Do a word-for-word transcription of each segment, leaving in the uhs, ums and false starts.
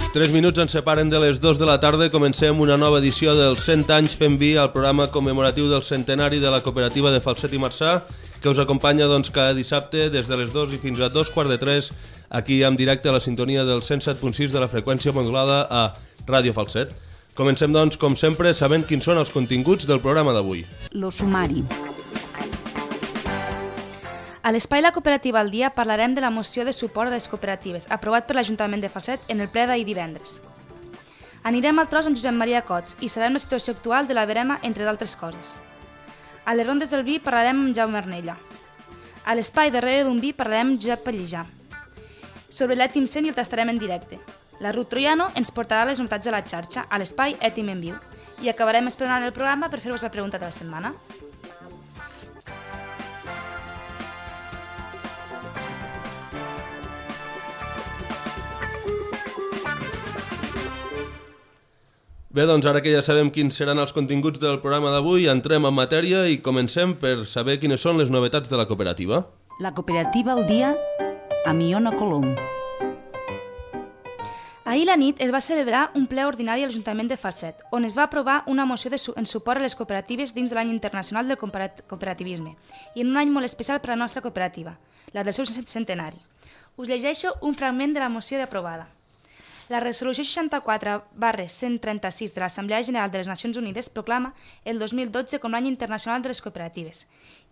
Tres minuts ens separen de les dues de la tarda. Comencem una nova edició dels cent anys fent vi al programa commemoratiu del centenari de la cooperativa de Falset i Marçà, que us acompanya doncs, cada dissabte des de les dues i fins a dos quarts de tres, aquí en directe a la sintonia del cent set punt sis de la freqüència modulada a Ràdio Falset. Comencem, doncs, com sempre, sabent quins són els continguts del programa d'avui. Lo sumari. A l'espai La Cooperativa al Dia parlarem de la moció de suport a les cooperatives, aprovat per l'Ajuntament de Falset en el ple d'ahir divendres. Anirem al tros amb Josep Maria Cots i sabem la situació actual de la verema, entre d'altres coses. A les rondes del vi parlarem amb Jaume Arnella. A l'espai Darrere d'un vi parlarem amb Josep Pallejà. Sobre l'Ètim cent i el tastarem en directe. La Ruth Troiano ens portarà les novetats de la xarxa a l'espai Ètim en viu. I acabarem esperant el programa per fer-vos la pregunta de la setmana. Bé, doncs ara que ja sabem quins seran els continguts del programa d'avui, entrem en matèria i comencem per saber quines són les novetats de la cooperativa. La Cooperativa al Dia amb Iona Colom. Ahir la nit es va celebrar un ple ordinari a l'Ajuntament de Falset, on es va aprovar una moció de su en suport a les cooperatives dins de l'any internacional del cooperativisme i en un any molt especial per a la nostra cooperativa, la del seu centenari. Us llegeixo un fragment de la moció d'aprovada. La resolució seixanta-quatre barra cent trenta-sis de l'Assemblea General de les Nacions Unides proclama el dos mil dotze com l'any internacional de les cooperatives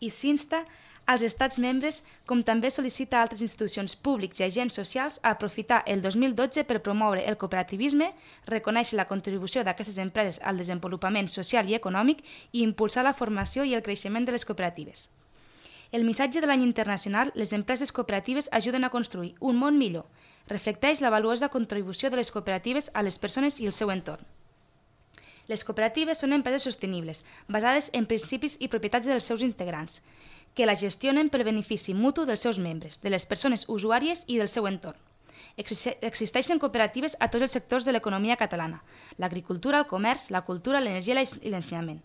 i s'insta als estats membres, com també sol·licita a altres institucions públics i agents socials a aprofitar el dos mil dotze per promoure el cooperativisme, reconèixer la contribució d'aquestes empreses al desenvolupament social i econòmic i impulsar la formació i el creixement de les cooperatives. El missatge de l'any internacional, les empreses cooperatives ajuden a construir un món millor, reflecteix la valuosa contribució de les cooperatives a les persones i el seu entorn. Les cooperatives són empreses sostenibles, basades en principis i propietats dels seus integrants, que la gestionen per benefici mutu dels seus membres, de les persones usuàries i del seu entorn. Existeixen cooperatives a tots els sectors de l'economia catalana, l'agricultura, el comerç, la cultura, l'energia i l'ensenyament.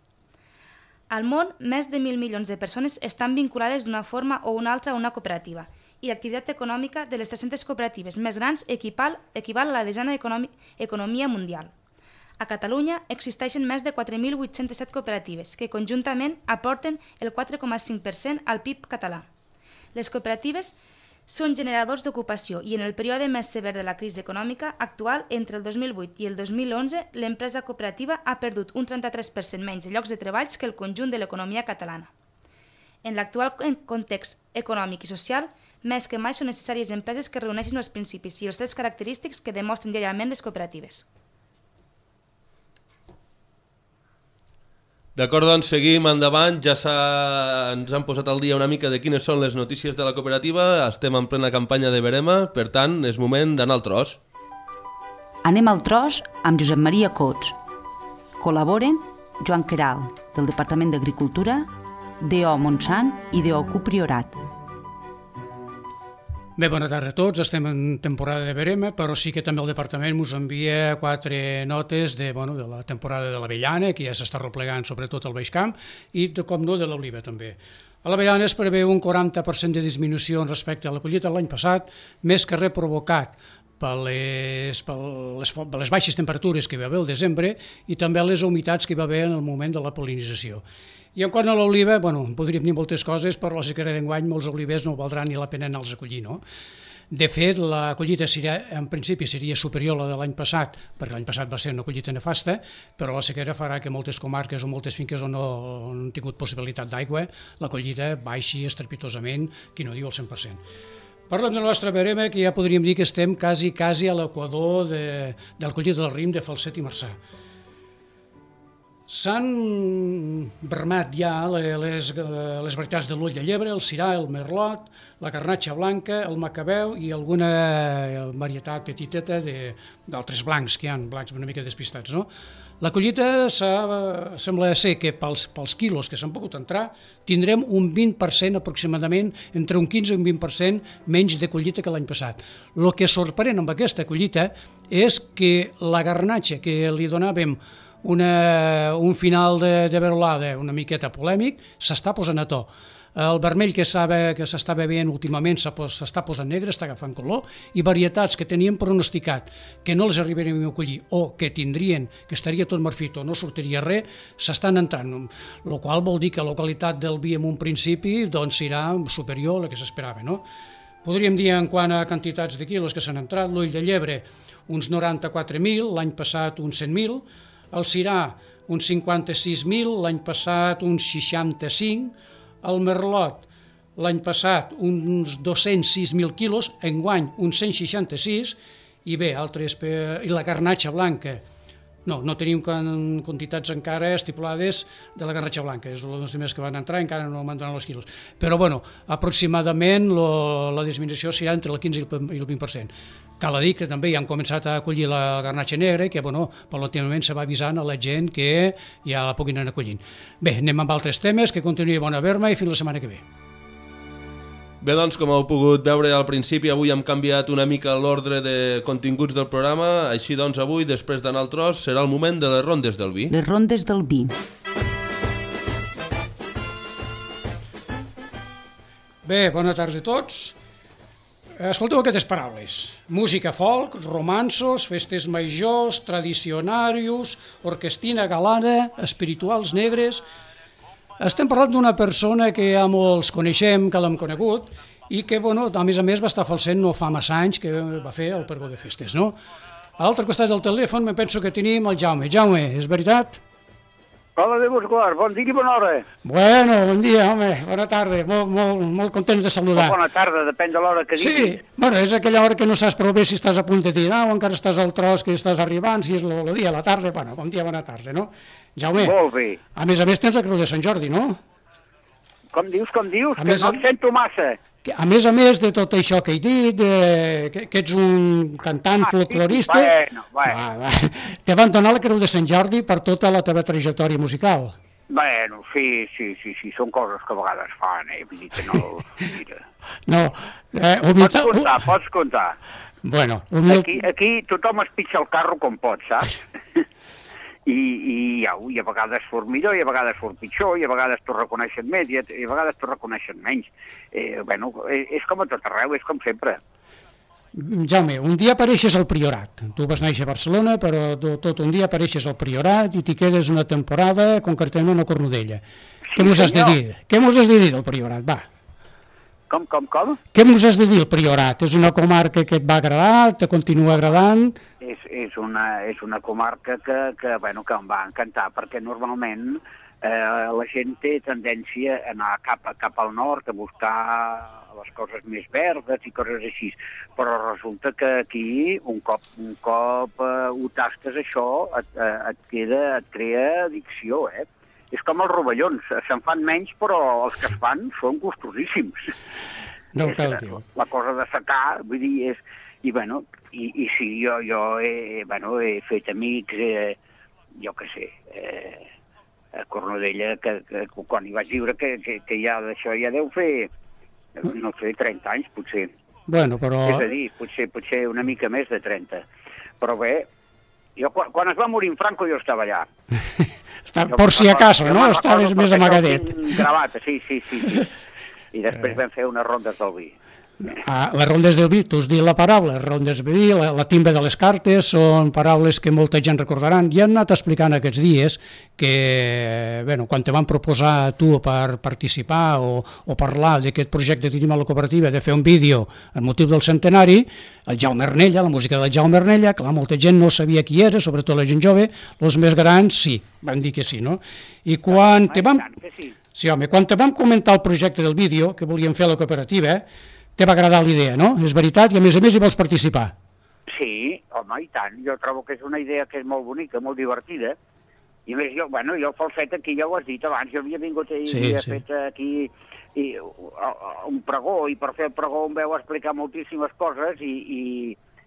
Al món, més de mil milions de persones estan vinculades d'una forma o una altra a una cooperativa i l'activitat econòmica de les tres-centes cooperatives més grans equival, equival a la desena economia mundial. A Catalunya existeixen més de quatre mil vuit-cents set cooperatives que conjuntament aporten el quatre coma cinc per cent al P I B català. Les cooperatives són generadors d'ocupació i en el període més sever de la crisi econòmica actual, entre el dos mil vuit i el dos mil onze, l'empresa cooperativa ha perdut un trenta-tres per cent menys de llocs de treballs que el conjunt de l'economia catalana. En l'actual context econòmic i social, més que mai són necessàries empreses que reuneixin els principis i els trets característics que demostren diàriament les cooperatives. D'acord, doncs seguim endavant, ja ens han posat al dia una mica de quines són les notícies de la cooperativa, estem en plena campanya de verema, per tant és moment d'anar al tros. Anem al tros amb Josep Maria Cots. Col·laboren Joan Queralt, del Departament d'Agricultura, D O Montsant i D O Q Priorat. Bé, bona tarda a tots. Estem en temporada de verema, però sí que també el departament ens envia quatre notes de, bueno, de la temporada de l'avellana, que ja s'està replegant sobretot al Baix Camp, i de, com no, de l'oliva també. A l'avellana es preveu un quaranta per cent de disminució respecte a la collita de l'any passat, més que res provocat per les, per les, per les baixes temperatures que hi va haver al desembre i també les humitats que hi va haver en el moment de la pol·linització. I en quant a l'oliva, bueno, podríem dir moltes coses, però la sequera d'enguany molts olivers no valdrà ni la pena anar-los a collir, no? De fet, la collita seria, en principi seria superior a la de l'any passat, perquè l'any passat va ser una collita nefasta, però la sequera farà que moltes comarques o moltes finques on no han tingut possibilitat d'aigua, la collita baixi estrepitosament, qui no diu el cent per cent. Parlem de la nostra verema, que ja podríem dir que estem quasi, quasi a l'equador de, del collit del Rim de Falset i Marçà. S'han vermat ja les, les varietats de l'ull de llebre, el cirà, el merlot, la garnatxa blanca, el macabeu i alguna varietat petiteta d'altres blancs que hi ha, blancs una mica despistats, no? La collita sembla ser que pels, pels quilos que s'han pogut entrar tindrem un vint per cent aproximadament, entre un quinze i un vint per cent menys de collita que l'any passat. El que sorprèn amb aquesta collita és que la garnatxa que li donàvem Una, un final de, de verolada una miqueta polèmic, s'està posant a to. el vermell que s'estava veient últimament s'està posant negre, està agafant color, i varietats que teníem pronosticat que no les arribaríem a collir o que tindrien, que estaria tot marfit o no sortiria res, s'estan entrant, el qual vol dir que la qualitat del vi en un principi doncs, serà superior a la que s'esperava, no? Podríem dir en quant a quantitats de quilos que s'han entrat, l'ull de llebre uns noranta-quatre mil, l'any passat uns cent mil, el cirà uns cinquanta-sis mil, l'any passat uns seixanta-cinc, el merlot l'any passat uns dos-cents sis mil quilos, enguany uns cent seixanta-sis, i bé, altres, i la garnatxa blanca, no, no tenim quantitats encara estipulades de la garnatxa blanca, és els primers que van entrar, encara no m'han donat els quilos, però bueno, aproximadament la disminució serà entre el quinze i el vint per cent. Cal dir que també ja han començat a acollir la garnatxa negra, que bueno, paulatinament se va avisant a la gent que ja la puguin anar acollint. Bé, anem amb altres temes, que continuï bona verma i fins la setmana que ve. Bé, doncs, com heu pogut veure al principi, avui hem canviat una mica l'ordre de continguts del programa, així doncs avui, després d'anar al tros, serà el moment de les rondes del vi. Les rondes del vi. Bé, bona tarda a tots. Escolteu aquestes paraules: música folk, romanços, festes majors, tradicionarius, orquestina galana, espirituals negres. Estem parlant d'una persona que ja molts coneixem, que l'hem conegut, i que, bueno, a més a més, va estar falsent no fa massa anys que va fer el pregó de festes, no? A l'altre costat del telèfon me penso que tenim el Jaume. Jaume, és veritat? Hola, Déu vos guard, bon dia i bona hora. Bueno, bon dia, home, bona tarda, molt, molt, molt contents de saludar. Bona tarda, depèn de l'hora que diguis. Sí, bueno, és aquella hora que no saps prou bé si estàs a punt de tirar o encara estàs al tros que estàs arribant, si és el dia, la tarda, bueno, bon dia, bona tarda, no? Jaume, molt bé. A més a més tens la Creu de Sant Jordi, no? Com dius, com dius, a que més, no et sento massa. A més a més de tot això que he dit, de, que, que ets un cantant ah, folclorista, sí, bueno, bueno. Va, va, te van donar la Creu de Sant Jordi per tota la teva trajectòria musical. Bueno, sí, sí, sí, sí, són coses que a vegades fan, eh, vull dir que no... Mira. No, eh, humilta... Pots comptar, pots comptar. Bueno, humil... aquí, aquí tothom es pitja el carro com pot, saps? I, i, ja, i a vegades fos millor, i a vegades fos pitjor, i a vegades t'ho reconeixen més, i a, i a vegades t'ho reconeixen menys. Eh, bueno, és com a tot arreu, és com sempre. Jaume, un dia apareixes al Priorat. Tu vas néixer a Barcelona, però tot un dia apareixes al Priorat i t'hi quedes una temporada, concretament a Cornudella. Sí, què mos has de dir? Què mos has de dir del Priorat, va? Com, com, com? Què mos has de dir el Priorat? És una comarca que et va agradar, te continua agradant? És, és, una, és una comarca que, que, bueno, que em va encantar, perquè normalment eh, la gent té tendència a anar cap, cap al nord, a buscar les coses més verdes i coses així, però resulta que aquí, un cop, un cop eh, ho tastes això, et, et, queda, et crea addicció, eh? És com els rovellons, se'n fan menys, però els que es fan són gustosíssims. No, és, la, la cosa de secar, vull dir, és... I, bueno, i, i sí, jo, jo he, bueno, he fet amics, eh, jo què sé, eh, a Cornudella, que, que quan hi vaig viure, que, que, que ja d'això ja deu fer, no sé, trenta anys, potser. Bueno, però... És a dir, potser, potser una mica més de trenta. Però bé, jo, quan, quan es va morir en Franco jo estava allà. Està, jo, por si acaso, no? Estaves més amagadet. Gravat, sí, sí, sí, sí. I després vam fer unes rondes del vi. Ah, les rondes del vi, tu has dit la paraula, les rondes del vi, la, la timba de les cartes, són paraules que molta gent recordaran. Ja hem anat explicant aquests dies que, bueno, quan te van proposar a tu per participar o, o parlar d'aquest projecte que tenim a la cooperativa, de fer un vídeo amb motiu del centenari, el Jaume Arnella, la música del Jaume Arnella, clar, molta gent no sabia qui era, sobretot la gent jove, els més grans sí, van dir que sí, no? I quan te vam... Sí, home, quan te vam comentar el projecte del vídeo que volíem fer a la cooperativa, te va agradar l'idea, no? És veritat, i a més a més hi vols participar. Sí, home, i tant. Jo trobo que és una idea que és molt bonica, molt divertida. I a més, jo, bueno, jo el falset aquí ja ho has dit abans, jo havia vingut i sí, havia sí. fet aquí i, un pregó, i per fer el pregó em veu explicar moltíssimes coses i, i,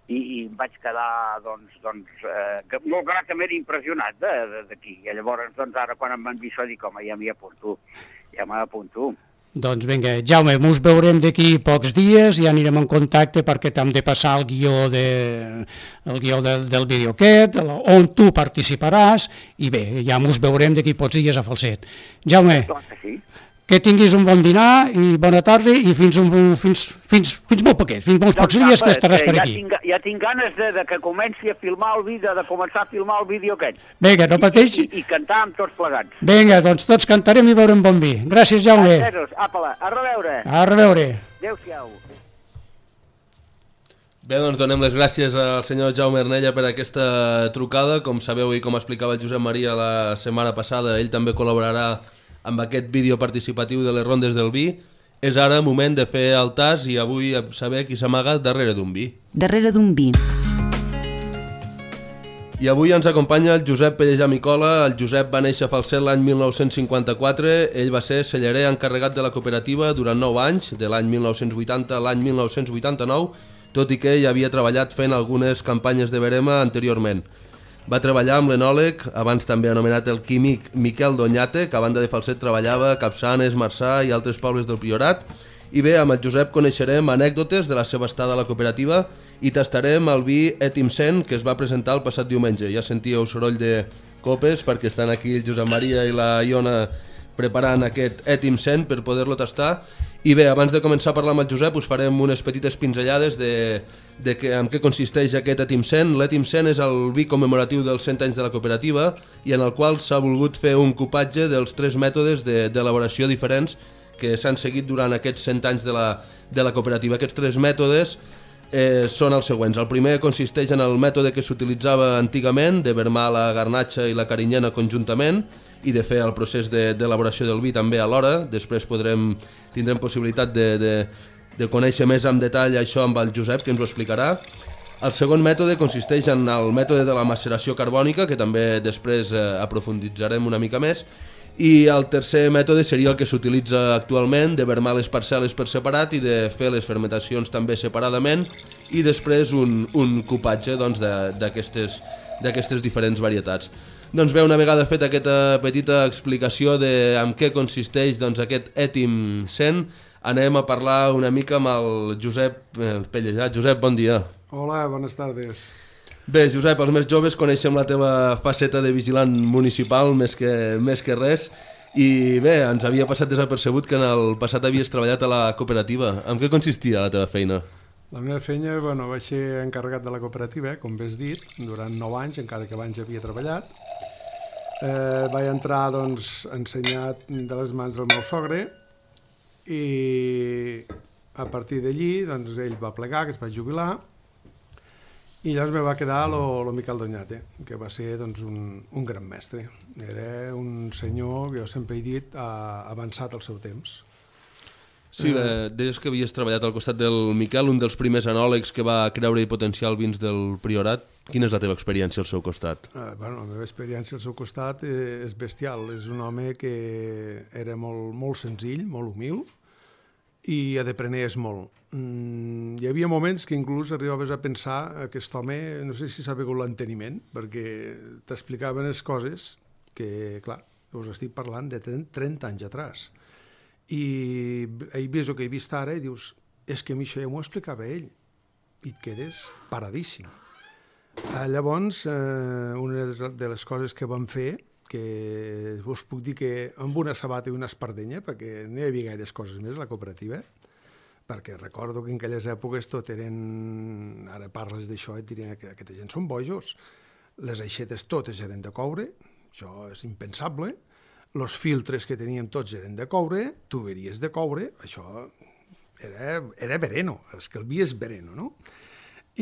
i, i em vaig quedar, doncs, doncs eh, molt gratament impressionat d'aquí. I llavors, doncs, ara quan em van dir això, dic, home, ja m'hi apunto, ja m'apunto. Doncs vinga, Jaume, ens veurem d'aquí pocs dies, ja anirem en contacte perquè t'hem de passar el guió, de, el guió del, del vídeo aquest, on tu participaràs, i bé, ja ens veurem d'aquí pocs dies a Falset. Jaume, sí. que tinguis un bon dinar i bona tarda i fins, un, fins, fins, fins molt poquet, fins molts pocs dies que estaràs per aquí. Ja tinc, ja tinc ganes de, de que comenci a filmar el vídeo, de començar a filmar el vídeo aquest. Vinga, no pateix. I, i, i cantar amb tots plegats. Vinga, doncs tots cantarem i veurem bon vi. Gràcies, Jaume. Apa, a reveure. A reveure. Adéu-siau. Bé, doncs donem les gràcies al senyor Jaume Arnella per aquesta trucada. Com sabeu i com explicava el Josep Maria la setmana passada, ell també col·laborarà amb aquest vídeo participatiu de les rondes del vi. És ara moment de fer el tas i avui saber qui s'amaga darrere d'un vi. Darrere d'un vi. I avui ens acompanya el Josep Pellejà Micola. El Josep va néixer a Falset l'any mil nou-cents cinquanta-quatre. Ell va ser cellarer encarregat de la cooperativa durant nou anys, de l'any mil nou-cents vuitanta a l'any mil nou-cents vuitanta-nou, tot i que ell havia treballat fent algunes campanyes de verema anteriorment. Va treballar amb l'enòleg, abans també anomenat el químic Miquel Doñate, que a banda de Falset treballava a Capçanes, Marçà i altres pobles del Priorat. I bé, amb el Josep coneixerem anècdotes de la seva estada a la cooperativa i tastarem el vi Etim cent que es va presentar el passat diumenge. Ja sentíeu soroll de copes perquè estan aquí el Josep Maria i la Iona preparant aquest Etim cent per poder-lo tastar. I bé, abans de començar a parlar amb el Josep us farem unes petites pinzellades de, de que, en què consisteix aquest Etim cent. L'Etim cent és el vi commemoratiu dels cent anys de la cooperativa i en el qual s'ha volgut fer un cupatge dels tres mètodes d'elaboració de, diferents que s'han seguit durant aquests cent anys de la, de la cooperativa. Aquests tres mètodes eh, són els següents. El primer consisteix en el mètode que s'utilitzava antigament, de vermar la garnatxa i la carinyena conjuntament, i de fer el procés d'elaboració de, del vi també alhora. Després podrem, tindrem possibilitat de, de, de conèixer més en detall això amb el Josep, que ens ho explicarà. El segon mètode consisteix en el mètode de la maceració carbònica, que també després eh, aprofunditzarem una mica més. I el tercer mètode seria el que s'utilitza actualment, de vermar les parcel·les per separat i de fer les fermentacions també separadament i després un, un cupatge doncs, d'aquestes d'aquestes diferents varietats. Doncs bé, una vegada fet aquesta petita explicació de en què consisteix doncs, aquest Etim cent, anem a parlar una mica amb el Josep Pellejà. Josep, bon dia. Hola, bones tardes. Bé, Josep, els més joves coneixem la teva faceta de vigilant municipal més que, més que res i bé, ens havia passat desapercebut que en el passat havies treballat a la cooperativa. En què consistia la teva feina? La meva feina, bueno, vaig ser encarregat de la cooperativa, com bé has dit, durant nou anys, encara que abans havia treballat. Eh, vaig entrar, doncs, ensenyat de les mans del meu sogre i a partir d'allí, doncs, ell va plegar, que es va jubilar, i llavors me va quedar lo, lo Miquel Doñate, que va ser doncs, un, un gran mestre. Era un senyor, que jo sempre he dit, ha avançat el seu temps. Sí, eh, deies que havies treballat al costat del Miquel, un dels primers anòlegs que va creure i potenciar els vins del Priorat. Quina és la teva experiència al seu costat? Eh, bueno, la meva experiència al seu costat eh, és bestial. És un home que era molt, molt senzill, molt humil, i aprenies molt. Mm, hi havia moments que inclús arribaves a pensar que aquest home, no sé si s'ha begut l'enteniment, perquè t'explicaven les coses que, clar, us estic parlant de trenta anys atrás. I he vist el que he vist ara i dius, és que a mi això ja m'ho explicava ell, i et quedes paradíssim. Eh, llavors, eh, una de les coses que vam fer, que us puc dir que amb una sabata i una espardenya, perquè no hi havia gaires coses més a la cooperativa, perquè recordo que en aquelles èpoques tot eren... Ara parles d'això i et dirien que aquesta gent són bojos. Les aixetes totes eren de coure, això és impensable. Els filtres que teníem tots eren de coure, tuberies de coure, això era, era vereno, és que el vi és vereno, no?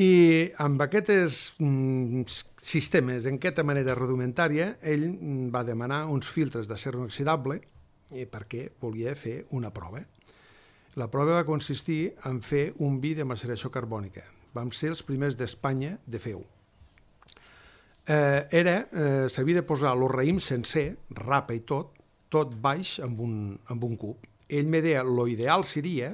I amb aquests mm, sistemes, en aquesta manera rudimentària, ell va demanar uns filtres d'acer inoxidable perquè volia fer una prova. La prova va consistir en fer un vi de maceració carbònica. Vam ser els primers d'Espanya de fer-ho. Eh, era, eh, s'havia de posar el raïm sencer, rapa i tot, tot baix amb un, amb un cub. Ell me deia, lo ideal seria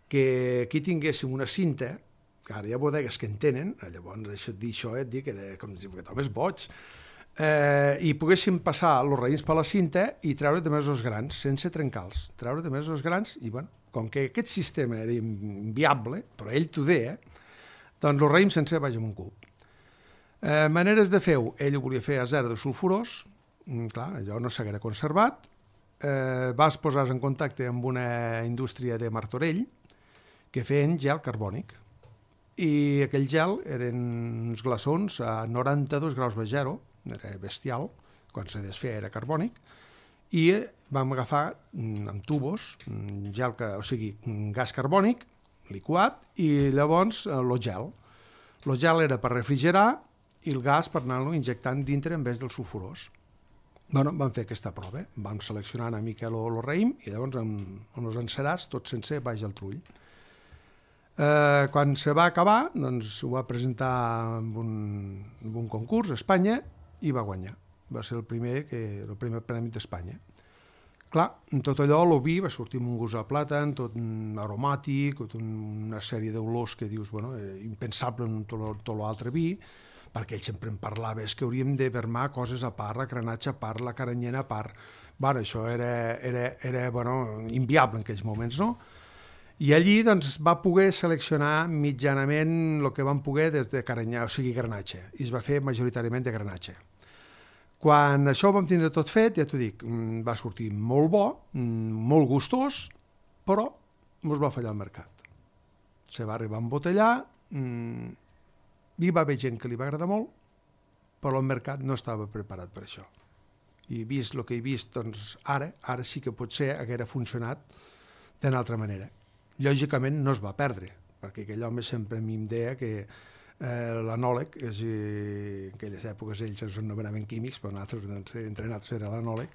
que aquí tinguéssim una cinta, que ara hi ha bodegues que en tenen, llavors això, dir això et dic que era com si aquest home és boig, eh, i poguéssim passar els raïms per la cinta i treure de més els grans, sense trencar-los. Treure de més els grans, i bueno, com que aquest sistema era inviable, però ell t'ho deia, doncs el raïm sencer baix amb un cub. Eh, maneres de fer-ho, ell ho volia fer a zero de sulfurós, mm, clar, allò no s'haguera conservat, eh, vas posar en contacte amb una indústria de Martorell que feien gel carbònic. I aquell gel eren uns glaçons a noranta-dos graus de zero, era bestial, quan se desfeia era carbònic, i vam agafar amb tubos, gel, o sigui, gas carbònic, liquat, i llavors el gel. El gel era per refrigerar i el gas per anar-lo injectant dintre en vez dels sulfurós. Bueno, vam fer aquesta prova, vam seleccionar una mica el raïm i llavors amb els encerats, tot sencer, baix al trull. Eh, quan se va acabar, doncs ho va presentar en un, en un concurs a Espanya i va guanyar. Va ser el primer, que, el primer premi d'Espanya. Clar, en tot allò, el vi va sortir amb un gust de plàtan, tot aromàtic, tot una sèrie d'olors que dius, bueno, impensable en tot l'altre vi, perquè ell sempre em parlava, és que hauríem de vermar coses a part, la granatge a part, la caranyena a part. Bueno, això era, era, era bueno, inviable en aquells moments, no? I allí doncs, va poder seleccionar mitjanament el que van poder des de caranyà, o sigui, granatge, i es va fer majoritàriament de granatge. Quan això ho vam tindre tot fet, ja t'ho dic, va sortir molt bo, molt gustós, però ens va fallar el mercat. Se va arribar a embotellar, hi va haver gent que li va agradar molt, però el mercat no estava preparat per això. I vist el que he vist, doncs ara, ara sí que potser haguera funcionat d'una altra manera. Lògicament no es va perdre, perquè aquell home sempre a mi em deia que eh, l'anòleg, és, eh, en aquelles èpoques ells ens anomenaven químics, però nosaltres, doncs, entre nosaltres era l'anòleg,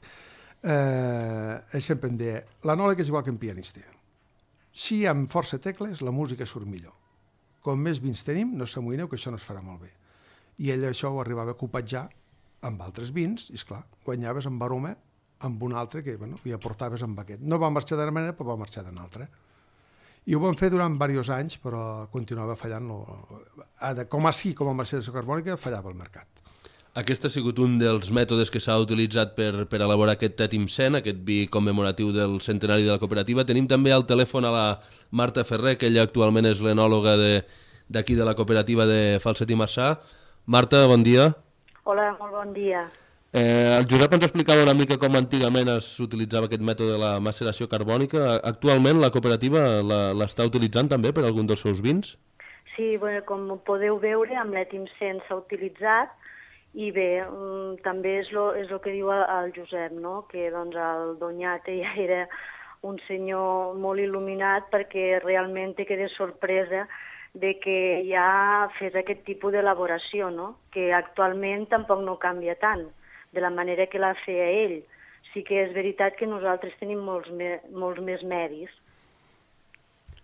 eh, ell sempre em deia, l'anòleg és igual que un pianista. Si amb força tecles la música surt millor. Com més vins tenim, no s'amoïneu que això no es farà molt bé. I ell això ho arribava a copatjar amb altres vins, i esclar, guanyaves amb aroma amb un altre que, bueno, li aportaves amb aquest. No va marxar d'una manera, però va marxar d'una altra. I ho vam fer durant diversos anys, però continuava fallant. Lo... Com així, com amb la sedació carbònica, fallava el mercat. Aquest ha sigut un dels mètodes que s'ha utilitzat per, per elaborar aquest Tetimcent, aquest vi commemoratiu del centenari de la cooperativa. Tenim també al telèfon a la Marta Ferrer, que ella actualment és l'enòloga d'aquí de, de la cooperativa de Falset i Marçà. Marta, bon dia. Hola, molt bon dia. Eh, el Josep ens explicava una mica com antigament s'utilitzava aquest mètode de la maceració carbònica. Actualment la cooperativa l'està utilitzant també per algun dels seus vins? Sí, bueno, com podeu veure, amb l'Etimcent s'ha utilitzat i bé, també és el és lo que diu el Josep, no? Que doncs, el Doñate ja era un senyor molt il·luminat perquè realment te queda sorpresa de que ja fes aquest tipus d'elaboració, no? Que actualment tampoc no canvia tant de la manera que la feia ell. Sí que és veritat que nosaltres tenim molts, me, molts més medis.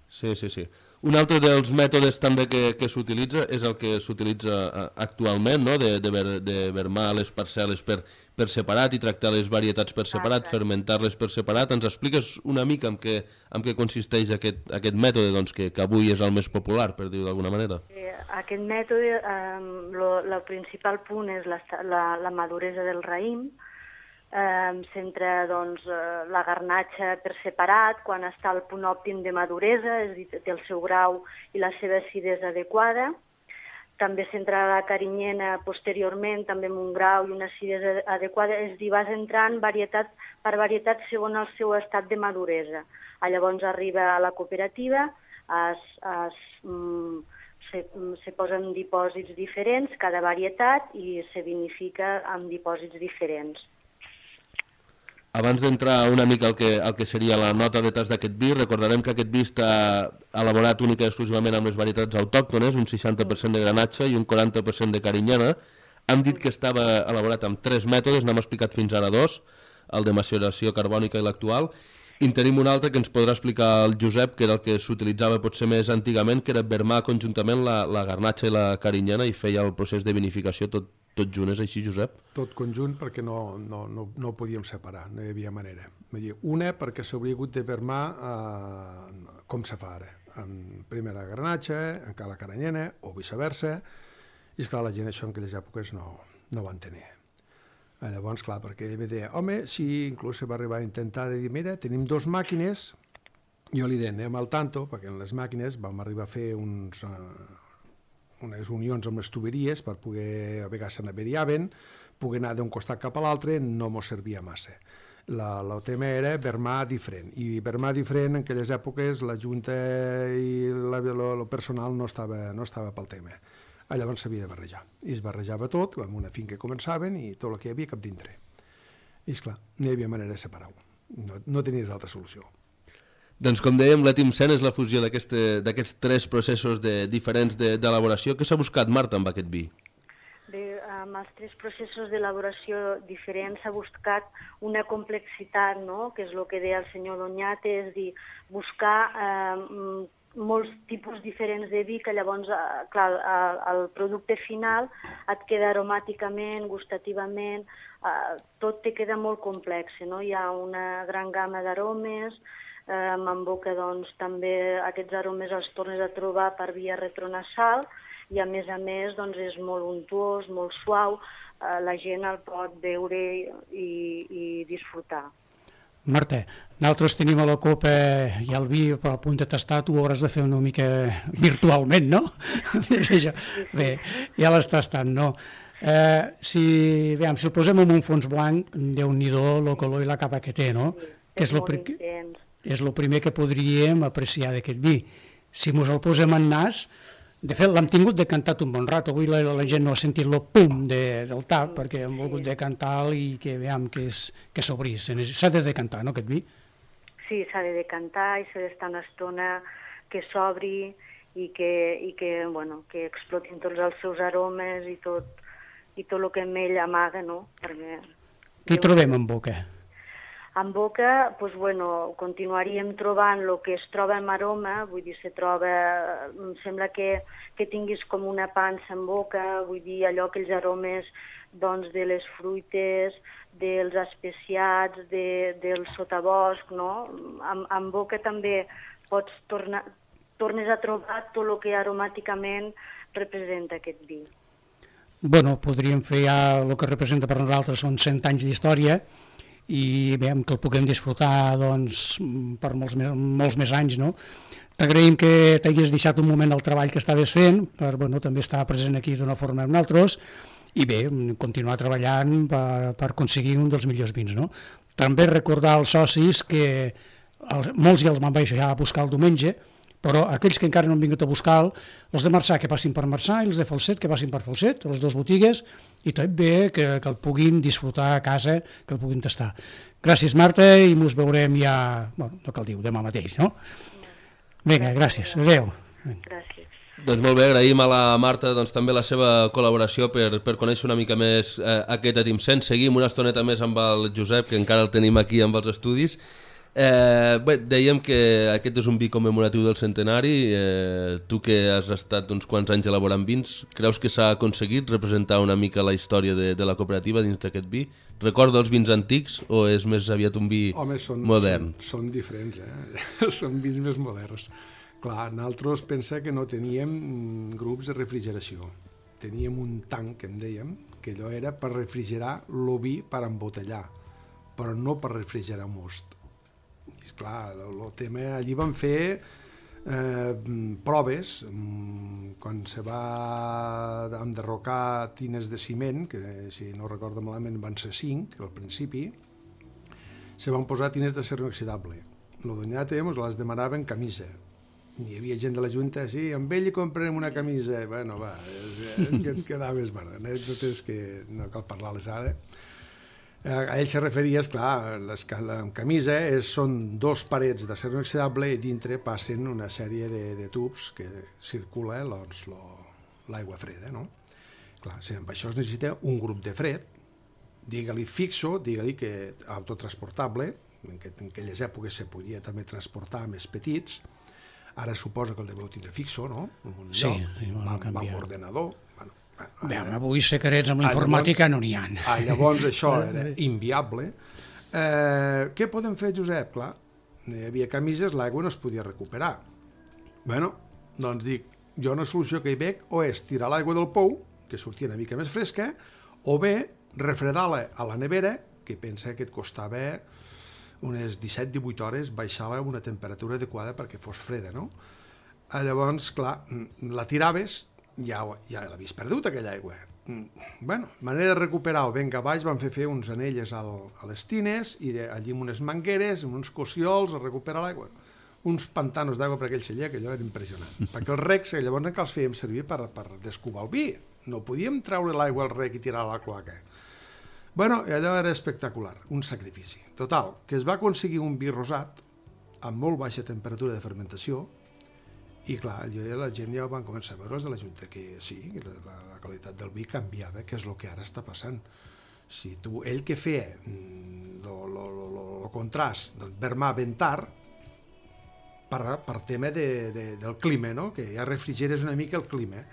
Sí, sí, sí. Un altre dels mètodes també que, que s'utilitza és el que s'utilitza actualment, no? de, de, ver, de vermar les parcel·les per, per separat i tractar les varietats per separat, Exacte. Fermentar-les per separat. Ens expliques una mica en què, en què consisteix aquest, aquest mètode, doncs, que, que avui és el més popular, per dir-ho d'alguna manera? Eh, aquest mètode, el principal punt és la, la, la maduresa del raïm. Eh, S'entra doncs, la garnatxa per separat quan està al punt òptim de maduresa, és a dir, té el seu grau i la seva acidesa adequada. També s'entra la carinyena posteriorment, també amb un grau i una acidesa adequada, és a dir, vas entrant varietat per varietat segons el seu estat de maduresa. Llavors arriba a la cooperativa, es, es, mm, se, se posen dipòsits diferents, cada varietat, i se vinifica amb dipòsits diferents. Abans d'entrar una mica al que, al que seria la nota de tas d'aquest vi, recordarem que aquest vi està elaborat única i exclusivament amb les varietats autòctones, un seixanta per cent de granatge i un quaranta per cent de carinyena. Hem dit que estava elaborat amb tres mètodes, n'hem explicat fins ara dos, el de maceració carbònica i l'actual. I en tenim un altre que ens podrà explicar el Josep, que era el que s'utilitzava potser més antigament, que era vermar conjuntament la, la garnatxa i la carinyena i feia el procés de vinificació tot, tot junt. És així, Josep? Tot conjunt, perquè no, no, no, no ho podíem separar, no hi havia manera. Una, perquè s'hauria hagut de vermar eh, com se fa ara, amb primer la granatxa, encara la carinyena, o viceversa, i esclar, la gent això en aquelles èpoques no, no van tenir. Llavors, clar, perquè ell deia, home, si inclús se va arribar a intentar de dir, mira, tenim dos màquines, jo li deia, anem al tanto, perquè en les màquines vam arribar a fer uns, uh, unes unions amb les tuberies per poder, a vegades se n'averiaven, poder anar d'un costat cap a l'altre, no mos servia massa. El tema era vermar diferent, i vermar diferent en aquelles èpoques la Junta i el personal no estava, no estava pel tema. Llavors s'havia de barrejar, i es barrejava tot, amb una finca començaven i tot el que hi havia cap dintre. I esclar, no hi havia manera de separar-ho, no, no tenies altra solució. Doncs com dèiem, l'Etimcen és la fusió d'aquests tres processos de, diferents d'elaboració. Què s'ha buscat, Marta, amb aquest vi? Bé, amb els tres processos d'elaboració diferents s'ha buscat una complexitat, no?, que és el que deia el senyor Doñate, és dir, buscar eh, molts tipus diferents de vi que llavors, eh, clar, el producte final et queda aromàticament, gustativament, eh, tot te queda molt complex, no? Hi ha una gran gamma d'aromes, eh, en boca doncs també aquests aromes els tornes a trobar per via retronasal, i a més a més doncs, és molt untuós, molt suau, eh, la gent el pot veure i, i disfrutar. Marta, nosaltres tenim a la copa i el vi a punt de tastar, tu ho hauràs de fer una mica virtualment, no? Bé, ja l'has tastat, no? Eh, si, veiem, si el posem en un fons blanc, Déu-n'hi-do el color i la capa que té, no? Sí, que és, és, molt intens. És el primer que podríem apreciar d'aquest vi. Si mos el posem en nas, de fet, l'hem tingut decantat un bon rato. Avui la, la gent no ha sentit el pum de, del tap, perquè hem volgut decantar i que veiem que, és, que s'obrís. S'ha de decantar, no, aquest vi? Sí, s'ha de decantar i s'ha d'estar una estona que s'obri i que, i que, bueno, que explotin tots els seus aromes i tot, i tot el que en ell amaga, no? Perquè... Què hi trobem en boca? En boca, doncs, bueno, continuaríem trobant el que es troba en aroma, vull dir, se troba, em sembla que, que tinguis com una pansa en boca, vull dir, allò, aquells aromes doncs, de les fruites, dels especiats, de, del sotabosc, no? En, en boca també pots tornar, tornes a trobar tot el que aromàticament representa aquest vi. Bueno, podríem fer ja el que representa per nosaltres, són cent anys d'història, i veiem que el puguem disfrutar doncs, per molts més, molts més anys, no? T'agraïm que t'hagués deixat un moment el treball que estaves fent, per bueno, també estar present aquí d'una forma amb nosaltres, i bé, continuar treballant per, per aconseguir un dels millors vins, no? També recordar als socis que els, molts ja els van baixar a buscar el diumenge, però aquells que encara no han vingut a buscar, els de Marçà que passin per Marçà i els de Falset que passin per Falset, les dues botigues, i tot bé que, que el puguin disfrutar a casa, que el puguin tastar. Gràcies, Marta, i ens veurem ja, bueno, no cal dir, demà mateix, no? Vinga, gràcies, adéu. Gràcies. Doncs molt bé, agraïm a la Marta doncs, també la seva col·laboració per, per conèixer una mica més eh, aquest Etimcen. Seguim una estoneta més amb el Josep, que encara el tenim aquí amb els estudis. Eh, bé, dèiem que aquest és un vi commemoratiu del centenari. Eh, tu que has estat uns quants anys elaborant vins, creus que s'ha aconseguit representar una mica la història de, de la cooperativa dins d'aquest vi? Recorda els vins antics o és més aviat un vi Home, són, modern? Són, són diferents, eh? Són vins més moderns. Clar, nosaltres pensa que no teníem grups de refrigeració. Teníem un tanc, que en dèiem, que allò era per refrigerar el vi per embotellar, però no per refrigerar most. I clar, el, el tema, allí van fer eh, proves, quan se va enderrocar tines de ciment, que si no recordo malament van ser cinc al principi, se van posar tines d'acer inoxidable. El Doñate ens les demanaven camisa. Hi havia gent de la Junta, sí, amb ell hi comprarem una camisa. Bueno, va, que et quedaves, bueno, anècdotes que no cal parlar-les ara. A ell se referia, esclar, les, la camisa és, són dos parets d'acer inoxidable i dintre passen una sèrie de, de tubs que circula doncs, l'aigua freda, no? Clar, si amb això es necessita un grup de fred, digue-li fixo, digue-li que autotransportable, en, que, en aquelles èpoques se podia també transportar més petits, ara suposa que el deveu tindre fixo, no? Un sí, lloc, sí, va, va amb ordenador. Bueno, Bé, avui secrets amb la informàtica no n'hi ha. Ah, llavors això era inviable. Eh, què podem fer, Josep? Clar, hi havia camises, l'aigua no es podia recuperar. Bueno, doncs dic, jo una solució que hi veig o és tirar l'aigua del pou, que sortia una mica més fresca, o bé refredar-la a la nevera, que pensa que et costava unes disset divuit hores baixar-la a una temperatura adequada perquè fos freda, no? Llavors, clar, la tiraves, ja, ja l'havies perdut aquella aigua. bueno, manera de recuperar-ho, venga baix, van fer fer uns anelles al, a les tines i de, allí amb unes mangueres, amb uns cossiols, a recuperar l'aigua, uns pantanos d'aigua per aquell celler, que allò era impressionant. Perquè els recs, llavors encara els fèiem servir per, per descubar el vi, no podíem treure l'aigua al rec i tirar a la cloaca. Bueno, allò era espectacular, un sacrifici. Total, que es va aconseguir un vi rosat amb molt baixa temperatura de fermentació i clar, jo i la gent ja van començar a veure de la Junta que sí, que la, la qualitat del vi canviava, que és el que ara està passant. Si tu, ell que feia el contrast del vermà ben tard per, per tema de, de, del clima, no? Que ja refrigeres una mica el clima.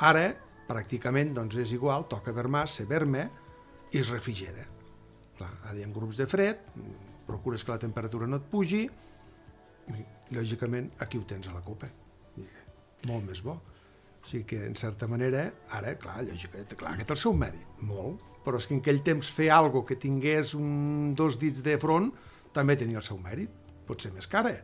Ara, pràcticament, doncs és igual, toca vermà, se verma i es refrigera. Clar, ara hi ha grups de fred, procures que la temperatura no et pugi i, lògicament, aquí ho tens a la copa. Molt més bo. O sigui que, en certa manera, ara, clar, lògicament, clar, que té el seu mèrit, molt, però és que en aquell temps fer alguna que tingués un, dos dits de front també tenia el seu mèrit, pot ser més cara.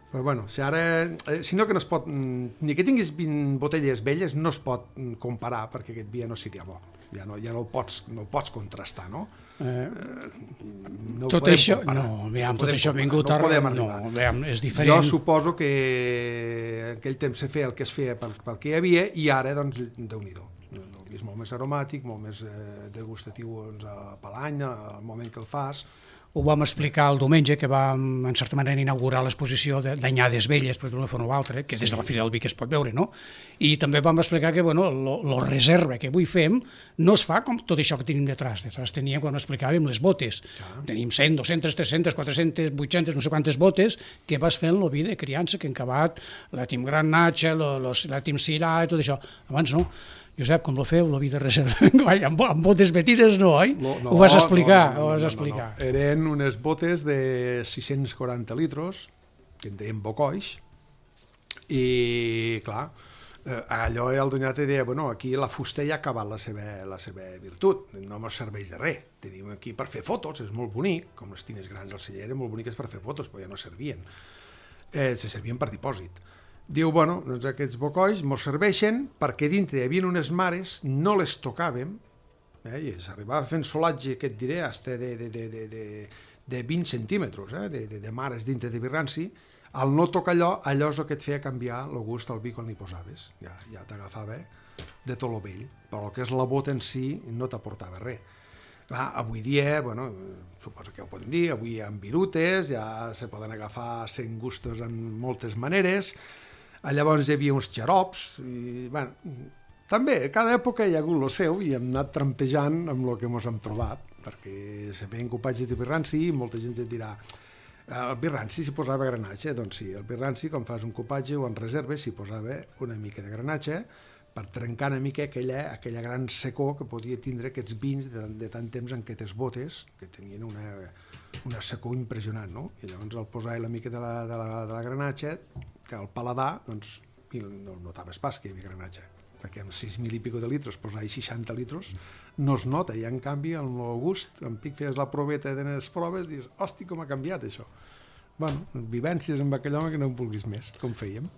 Però bueno, si ara, eh, si no que no es pot, ni que tinguis vint botelles velles, no es pot comparar perquè aquest vi ja no seria bo. Ja no, ja no el pots, no el pots contrastar, no? Eh, no tot això, comparar. no, veiem, no tot això ha vingut no a... No, veiem, és diferent. Jo suposo que en aquell temps se feia el que es feia pel, pel que hi havia i ara, doncs, Déu-n'hi-do. És molt més aromàtic, molt més eh, degustatiu doncs, per l'any, al moment que el fas. Ho vam explicar el diumenge, que vam, en certa manera, inaugurar l'exposició d'anyades velles, per d'una forma o altra, que des de la Fira del Vi que es pot veure, no? I també vam explicar que, bueno, la reserva que avui fem no es fa com tot això que tenim detrás. Detrás teníem, quan explicàvem, les botes. Ja. Tenim cent, dues-centes, tres-centes, quatre-centes, vuit-centes, no sé quantes botes, que vas fent el vi de criança, que hem acabat, la Tim Gran Natxa, la Tim Sirà i tot això. Abans no. Josep, com lo feu, la vida reserva? amb, amb botes metides no, oi? No, no, ho vas explicar, no, no, no, ho vas explicar. No, no, no. Eren unes botes de sis-cents quaranta litros, que en deien bocoix, i clar, eh, allò el Donat deia, bueno, aquí la fusta ja ha acabat la seva, la seva virtut, no ens serveix de res, tenim aquí per fer fotos, és molt bonic, com les tines grans del celler eren molt boniques per fer fotos, però ja no servien, eh, se servien per dipòsit. Diu, bueno, doncs aquests bocois mos serveixen perquè dintre hi havia unes mares, no les tocàvem, eh, i s'arribava fent solatge, que et diré, hasta de, de, de, de, de, de vint centímetres, eh, de, de, de mares dintre de birranci. Al no tocar allò, allò és el que et feia canviar el gust al vi quan li posaves. Ja, ja t'agafava de tot lo vell, però el que és la bota en si no t'aportava res. Clar, avui dia, bueno, suposo que ho podem dir, avui hi ha virutes, ja se poden agafar cent gustos en moltes maneres. Llavors hi havia uns xarops, i, bueno, també, cada època hi ha hagut el seu i hem anat trampejant amb el que ens hem trobat, perquè se feien copatges de birranci i molta gent et dirà el birranci s'hi posava granatge, doncs sí, el birranci, quan fas un copatge o en reserves, s'hi posava una mica de granatge per trencar una mica aquella, aquella gran secor que podia tindre aquests vins de, de tant temps en aquestes botes, que tenien una, una secor impressionant, no? I llavors al posar la mica de la, de la, de la granatge, al paladar, doncs, no notaves pas que hi havia granatge, perquè amb sis mil i pico de litres, posar-hi seixanta litres, no es nota, i en canvi, en el gust, en pic feies la proveta de les proves, dius, hosti, com ha canviat això. Bueno, vivències amb aquell home que no en vulguis més, com fèiem.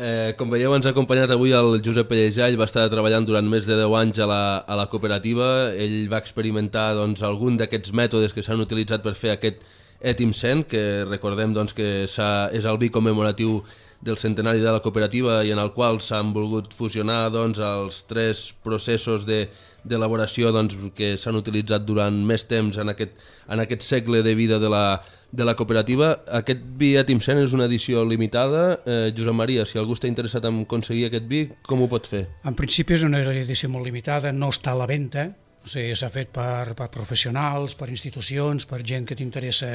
Eh, com veieu, ens ha acompanyat avui el Josep Pellejà. Ell va estar treballant durant més de deu anys a la, a la cooperativa. Ell va experimentar doncs, algun d'aquests mètodes que s'han utilitzat per fer aquest Etimcent, que recordem doncs, que és el vi commemoratiu del centenari de la cooperativa i en el qual s'han volgut fusionar doncs, els tres processos d'elaboració doncs, que s'han utilitzat durant més temps en aquest, en aquest segle de vida de la, de la cooperativa. Aquest vi Etimcent és una edició limitada. Eh, Josep Maria, si algú està interessat en aconseguir aquest vi, com ho pot fer? En principi és una edició molt limitada, no està a la venda, o sigui, s'ha fet per, per professionals, per institucions, per gent que t'interessa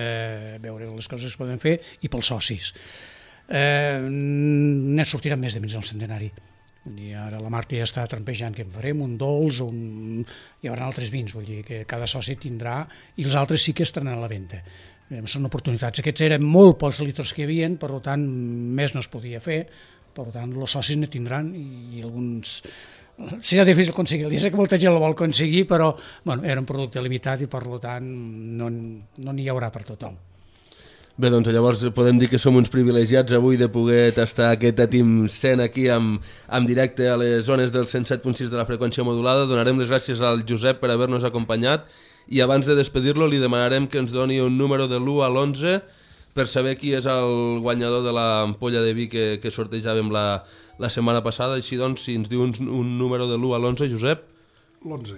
veure les coses que es poden fer i pels socis. Eh, ne sortirà més de mig del centenari. I ara la Marta ja està trampejant que en farem, un dolç, un... hi haurà altres vins, vull dir que cada soci tindrà, i els altres sí que estaran a la venda. Eh, són oportunitats. Aquests eren molt pocs litres que hi havia, per tant, més no es podia fer, per tant, els socis ne tindran i alguns... Serà difícil aconseguir, ja sé que molta gent el vol aconseguir, però bueno, era un producte limitat i per tant no n'hi no haurà per tothom. Bé, doncs llavors podem dir que som uns privilegiats avui de poder tastar aquest Etim cent aquí amb, amb directe a les zones del cent set punt sis de la freqüència modulada. Donarem les gràcies al Josep per haver-nos acompanyat i abans de despedir-lo li demanarem que ens doni un número de l'u a l'onze per saber qui és el guanyador de l'ampolla de vi que, que sortejàvem la, la setmana passada. Així doncs, si ens diu un, un número de l'u a l'onze, Josep? L'onze.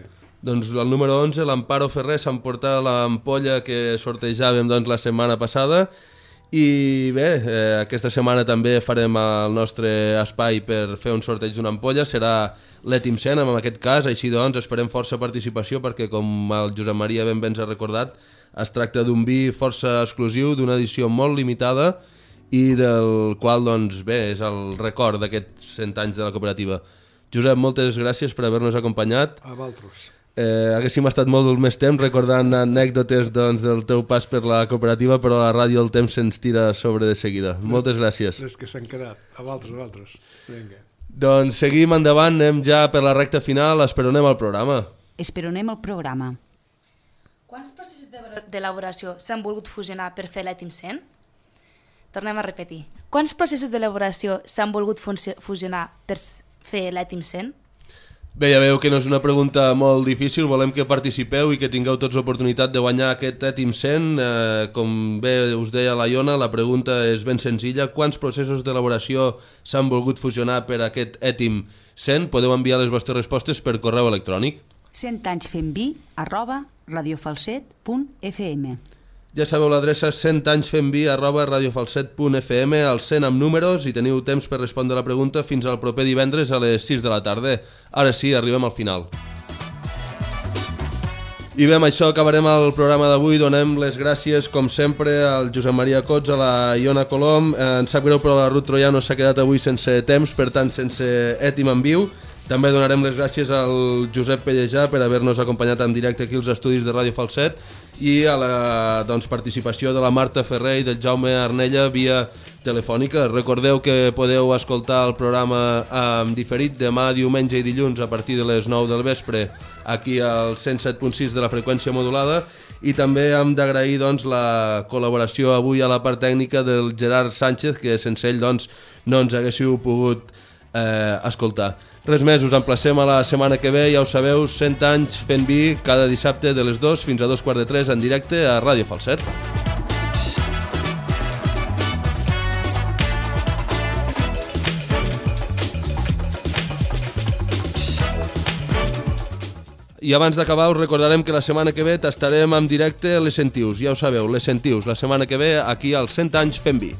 Doncs el número onze, l'Amparo Ferrer, s'emporta l'ampolla que sortejàvem doncs, la setmana passada i bé, eh, aquesta setmana també farem el nostre espai per fer un sorteig d'una ampolla, serà l'Etim cent en aquest cas, així doncs esperem força participació perquè com el Josep Maria ben bé ens ha recordat es tracta d'un vi força exclusiu, d'una edició molt limitada i del qual doncs bé, és el record d'aquests cent anys de la cooperativa. Josep, moltes gràcies per haver-nos acompanyat. A vosaltres. Eh, haguéssim estat molt més temps recordant anècdotes doncs, del teu pas per la cooperativa, però a la ràdio el temps se'ns tira sobre de seguida. Les, Moltes gràcies. Les que s'han quedat. A vosaltres, a vosaltres. Vinga. Doncs seguim endavant, anem ja per la recta final, esperonem el programa. Esperonem el programa. Quants processos d'elaboració s'han volgut fusionar per fer l'Etim cent? Tornem a repetir. Quants processos d'elaboració s'han volgut fusionar per fer l'Etim cent? Bé, ja veieu que no és una pregunta molt difícil, volem que participeu i que tingueu tots l'oportunitat de guanyar aquest Etim cent. Eh, com bé us deia la Iona, la pregunta és ben senzilla. Quants processos d'elaboració s'han volgut fusionar per aquest Etim cent? Podeu enviar les vostres respostes per correu electrònic. cent anys fent vi arroba radiofalset punt f m. Ja sabeu l'adreça cent anys fent vi arroba radiofalset punt f m, al cent amb números, i teniu temps per respondre la pregunta fins al proper divendres a les sis de la tarda. Ara sí, arribem al final. I bé, amb això acabarem el programa d'avui. Donem les gràcies, com sempre, al Josep Maria Cots, a la Iona Colom. Eh, ens sap greu, però la Ruth Troiano s'ha quedat avui sense temps, per tant, sense Etim en viu. També donarem les gràcies al Josep Pellejà per haver-nos acompanyat en directe aquí als estudis de Ràdio Falset i a la doncs, participació de la Marta Ferrer i del Jaume Arnella via telefònica. Recordeu que podeu escoltar el programa en diferit demà, diumenge i dilluns a partir de les nou del vespre aquí al cent set punt sis de la freqüència modulada, i també hem d'agrair doncs, la col·laboració avui a la part tècnica del Gerard Sánchez, que sense ell doncs, no ens haguéssiu pogut eh, escoltar. Res més, us emplacem a la setmana que ve, ja ho sabeu, cent anys fent vi cada dissabte de les dues fins a dos quarts de tres en directe a Ràdio Falset. I abans d'acabar us recordarem que la setmana que ve tastarem en directe les Centius, ja ho sabeu, les Centius, la setmana que ve aquí al cent anys fent vi.